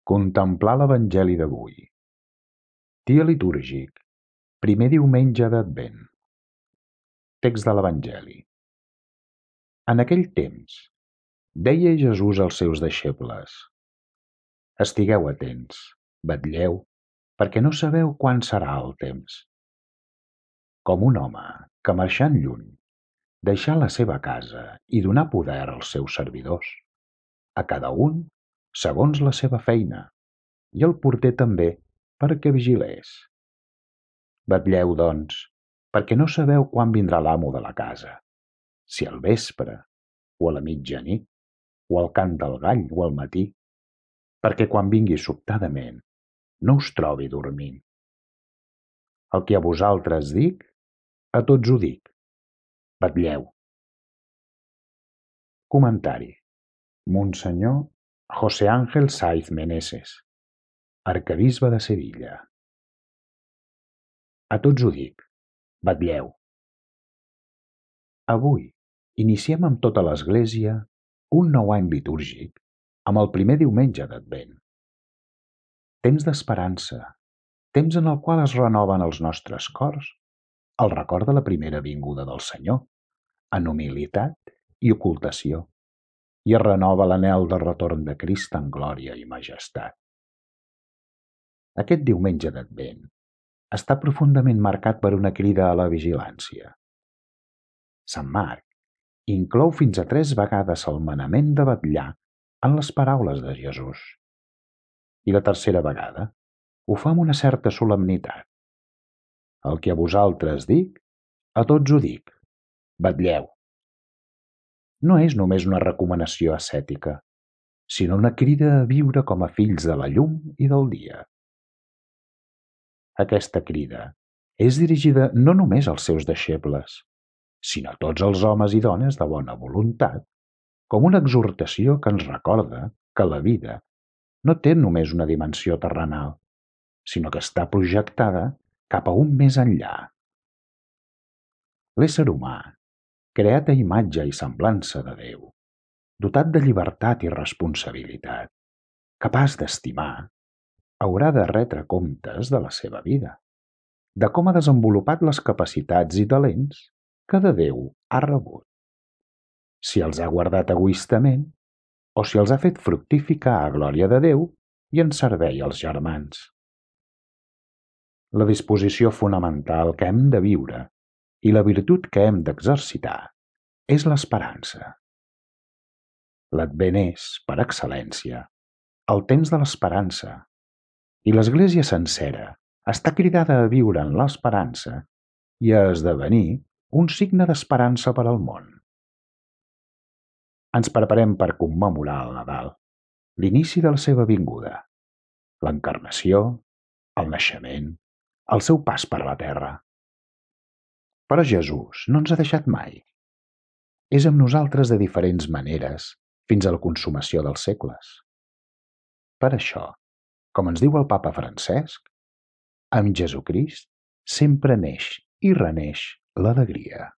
Contemplar l'Evangeli d'avui. Dia litúrgic, primer diumenge d'Advent. Text de l'Evangeli. En aquell temps, deia Jesús als seus deixebles: Estigueu atents, vetlleu, perquè no sabeu quan serà el temps. Com un home que marxant lluny, deixà la seva casa i donà poder als seus servidors, a cada un segons la seva feina, i el porter també perquè vigilés. Vetlleu, doncs, perquè no sabeu quan vindrà l'amo de la casa, si al vespre, o a la mitjanit, o al cant del gall, o al matí, perquè quan vingui sobtadament no us trobi dormint. El que a vosaltres dic, a tots ho dic: vetlleu. Comentari. Monsenyor José Ángel Saiz Meneses, arquebisbe de Sevilla. A tots ho dic: vetlleu. Avui iniciem amb tota l'Església un nou any litúrgic amb el primer diumenge d'Advent. Temps d'esperança, temps en el qual es renoven els nostres cors el record de la primera vinguda del Senyor, en humilitat i ocultació, i es renova l'anhel de retorn de Crist en glòria i majestat. Aquest diumenge d'Advent està profundament marcat per una crida a la vigilància. Sant Marc inclou fins a 3 vegades el manament de vetllar en les paraules de Jesús. I la tercera vegada ho fa amb una certa solemnitat. El que a vosaltres dic, a tots ho dic: vetlleu. No és només una recomanació ascètica, sinó una crida a viure com a fills de la llum i del dia. Aquesta crida és dirigida no només als seus deixebles, sinó a tots els homes i dones de bona voluntat, com una exhortació que ens recorda que la vida no té només una dimensió terrenal, sinó que està projectada cap a un més enllà. L'ésser humà, creat a imatge i semblança de Déu, dotat de llibertat i responsabilitat, capaç d'estimar, haurà de retre comptes de la seva vida, de com ha desenvolupat les capacitats i talents que de Déu ha rebut, si els ha guardat egoistament o si els ha fet fructificar a glòria de Déu i en servei als germans. La disposició fonamental que hem de viure i la virtut que hem d'exercitar és l'esperança. L'Advent és, per excel·lència, el temps de l'esperança, i l'Església sencera està cridada a viure en l'esperança i a esdevenir un signe d'esperança per al món. Ens preparem per commemorar el Nadal, l'inici de la seva vinguda, l'encarnació, el naixement, el seu pas per la terra. Però Jesús no ens ha deixat mai. És amb nosaltres de diferents maneres fins a la consumació dels segles. Per això, com ens diu el Papa Francesc, amb Jesucrist sempre neix i reneix l'alegria.